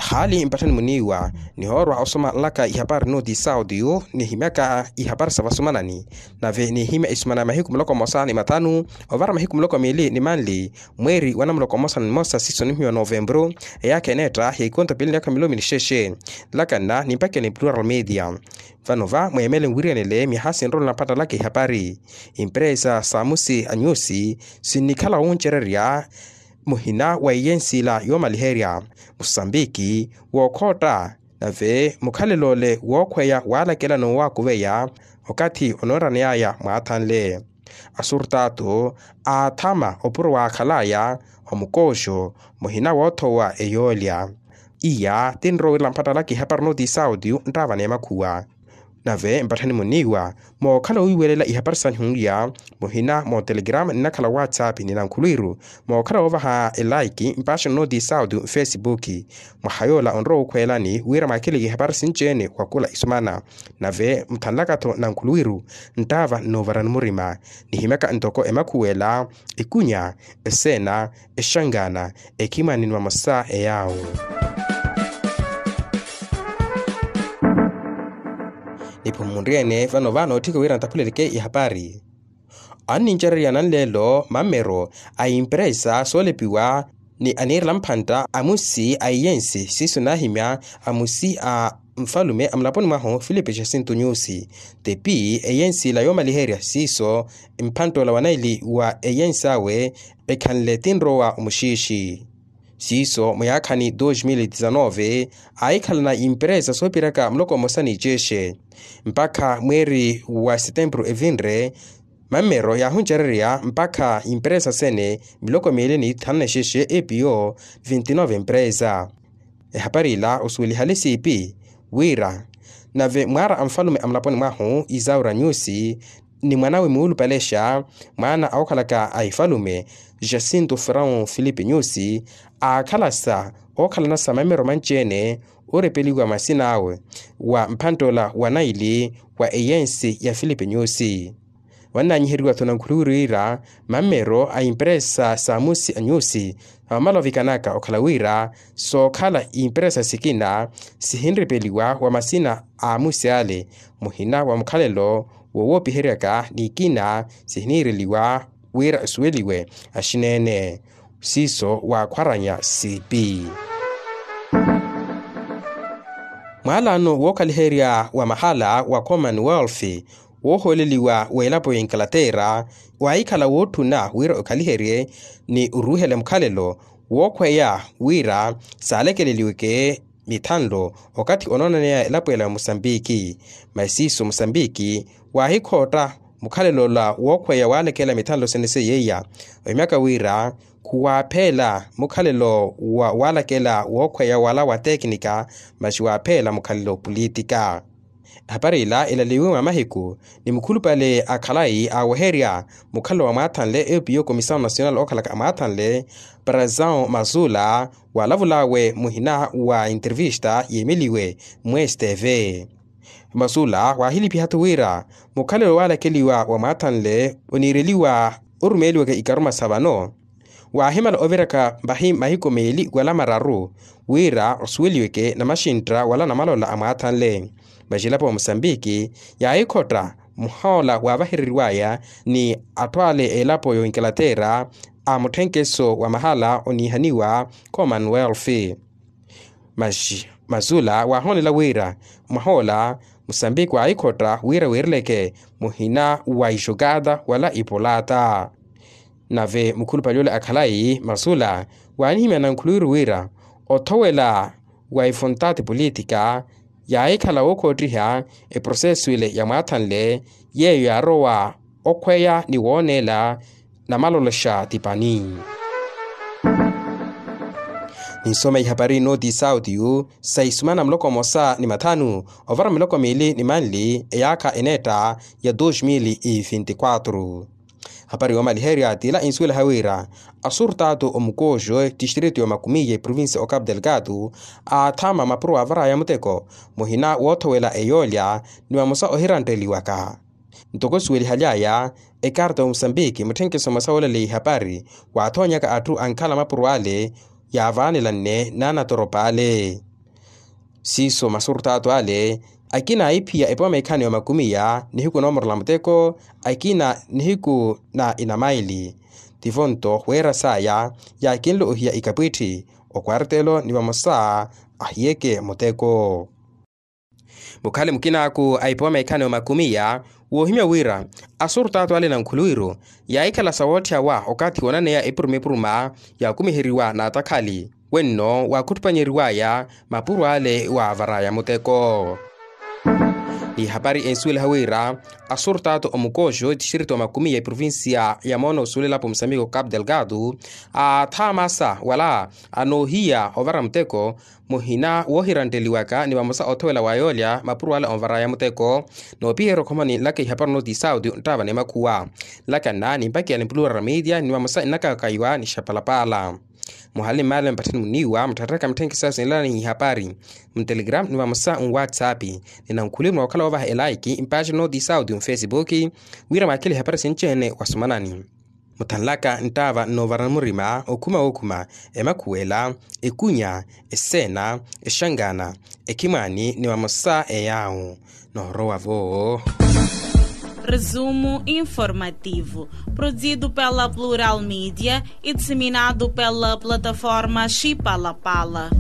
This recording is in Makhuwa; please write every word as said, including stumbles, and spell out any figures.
Khaali mpatthani muniiwa nihoorwa osoma nlaka ihapari nooti sautiyu nihimyaka ihapari sa vasumanani. Nave nihimya isumana ya mahiku muloko mmosa ni mathanu ovara mahiku muloko miili ni manli mweeri wa namuloko mmosa ni mmosa siiso nihimyiwa novempuru. Eyaakha eneetta ya ikonto piili ni yaakha milomi ni xexe. Nlaka nna nimpakeni plural media. Vano va mweemele nwiriyanele myaha sinrolela mpattalaka ihapari. Imperesa sa musi a nyusi sinnikhala wuncererya muhina wa iyensi ila yoomaliherya musambiki wookhootta. Nave mukhalelo ole wookhweya waalakela n'uwakuveya okathi onoonraneyaya mwaathanle asurtatu aathama opuro waakhalaya omukooxo muhina woothowa eyoolya. Iya tinrowerela mpattalaka ihapari nooti sautiyu nttaava n'emakhuwa. Nave mpatthani muniiwa mookhala wiiwelela ihapari sanyu iya muhina mootelegrama ninakhala whatsapp ni nankhulwiru mookhala woovaha elaiki mpaaxani nooti sautiyu mfesipuki. Mwaha yoola onrowa wukhweelani wira mwaakheleke ihapari sinci-ene wakula isumana. Nave muthanlaka-tho nankhulwiru nttaava nnoovarani murima nihimyaka ntoko emakhuwela ikunya eseena exangaana ekhimani ni mamosa eyaawo. Niphumunriyene vano va nootthika wira ntaphuleleke ihapari. Annincererya nanleelo mammero a imperesa soolepiwa ni aniirela mphantta a musi a iyensi siiso naahimya a musi a nfalume a mulaponi mwahu filipe jacinto nyusi. Tepi eyensi ila yoomaliherya siiso mphantta ola wa naili wa eyensi awe ekhanle tinrowa omuxiixi. Siiso muyaakhani dos mil e dezanove aahikhalana imperesa soopiraka muloko mmosa ni cexe mpakha mweeri wa setempuru evinre. Mammero yaahuncererya mpakha imperesa sene miloko miili ni thanu na exexe epiyo vinti nove emperesa. Ehapari ila osuwelihale siipi wira nave mwaara a nfalume a mulaponi mwahu isaura nyusi ni mwanawe muulupalexa mwaana a okhalaka a ifalume jacinto ferão filipe nyusi aakhalasa ookhalanasa mammero manci-ene orepeliwa masina awe wa mphantta ola wa naili wa eyensi ya filipe nyusi. Wannaanyiheriwa-tho nankhuluwiru wira mammero a imperesa sa musi a nyusi amamala ovikanaka okhala wira sookhala imperesa sikina sihinripeliwa wa masina a musi ale muhina wa mukhalelo wowoopiheryaka ni ikina sihiniireliwa wira asuweliwe axineene. Siiso waakhwaranya siipi mwaalano wookhaliherya wa mahala wa commonwealth woohooleliwa w'elapo ya inkalaterra waahikhala wootthuna wira okhaliherye ni oruuhela mukhalelo wookhweya wira saalekeleliweke mithanlo okathi onoonaneya elapo ela ya musambiki. Masi siiso musambiki waahikhootta mukhalelo ola wookhweya waalekela mithanlo sene seiya ohimyaka wira khuwaapheela mukhalelo wa waalakela wookhweya wala wa tekinika masi waapheela mukhalelo politika. Ehapari ila elaliwe mwa mahiku ni mukhulupale a khalayi aaweherya mukhalelo wa mwaathanle epiyo komisawu nasional ookhalaka a mwaathanle parazao mazula waalavul'awe muhina wa intervista yiimeliwe mwa stv. Masula waahilipiha-tho wira mukhalelo waalakeliwa wa mwaathanle oniireliwa orumeeliwaka ikaruma sa vano waahimala oviraka mahiku meeli wala mararu wira osuweliweke namaxintta wala namalola a mwaathanle. Maxelapo wa musambiki yaahikhotta muhoola waavahereriwaya ni atthu ale a elapo y'oinkalaterra a mutthenkeso wa mahala oniihaniwa commonwealth. Masi masula waahoonela wira mwaha ola musambiki waahikhotta wira wiireleke muhina wa ixokata wala ipolata. Nave mukhulupale ole a khalayi masula waanihimya nankhuluwiru wira othowela wa ifontaati politika yaahikhala wookoottiha eprosesu ile ya mwaathanle yeeyo yaarowa okhweya ni wooneela namalolexa tipani. Ninsoma ihapari nooti sautiyu sa isumana muloko mmosa ni mathanu ovara miloko miili ni manli eyaakha eneetta ya dos mil e vinti quatro. Hapari yoomaliherya t'ila insuwelaha wira asurtaatu omukooxo tistrito y'omakumiya eprovincia o capu delgado aathama mapuro aavaraya muteko muhina woothowela eyoolya ni vamosa ohirantteliwaka. Ntoko suwelihaly'aya ekarta y'omusambiki mutthenkeso mmosa woolaleya ihapari waathonyaka atthu ankhala mapuro ale yaavaanela nne n'anatoropa ale. Siiso masurtaatu ale akina aiphiya epooma ikhani ya makumiya nihiku noomorela muteko, akina nihiku na inamaili. Tivo nto weera saya yaakinle ohiya ikapwitthi okwartelo ni vamosa ahiyeke muteko. Mukhale mukinaaku a ipooma ikhani ya makumiya woohimya wira asurtaatu ale na nkhuluwiru yaahikhala sawootthiyawa okathi woonaneya epuruma epuruma yaakumiheriwa n'atakhali wenno waakhuttupanyeriwaya mapuro ale waavaraya muteko. Ni hapari ensuwelaha wira asurtaatu omukooxo etixirito wa makumiya eprovincia ya moona osuwelelapo musambiko capu delgado aathaamasa wala anoohiya ovara muteko muhina woohirantteliwaka ni vamosa othowela wa yoolya mapuro ale onvaraya muteko. Noopiherya okhomani nlaka ihapari onoti saudi nttaava ni makhuwa nlaka nna nimpakiya ni plural media ni vamosa nnakakaiwa ni xapalapala. Muhali mmaale mpatthani muniiwa mutthatthaka mitthenkhi sasu enlana ni ihapari mtelegram ni vamosa nwatsapp ni nankhuli mwa okhala woovaha elaiki mpaaxi onoti saudi mfesibuki wira mwakhele ihapari sinci-ene wasomanani. Muthanlaka nttaava nnoovara murima okhuma wookhuma emakhuwela ekunya eseena exangana ekhimwaani ni vamosa eyaawu noorowa-vo. Resumo informativo produzido pela plural media e disseminado pela plataforma xipalapala.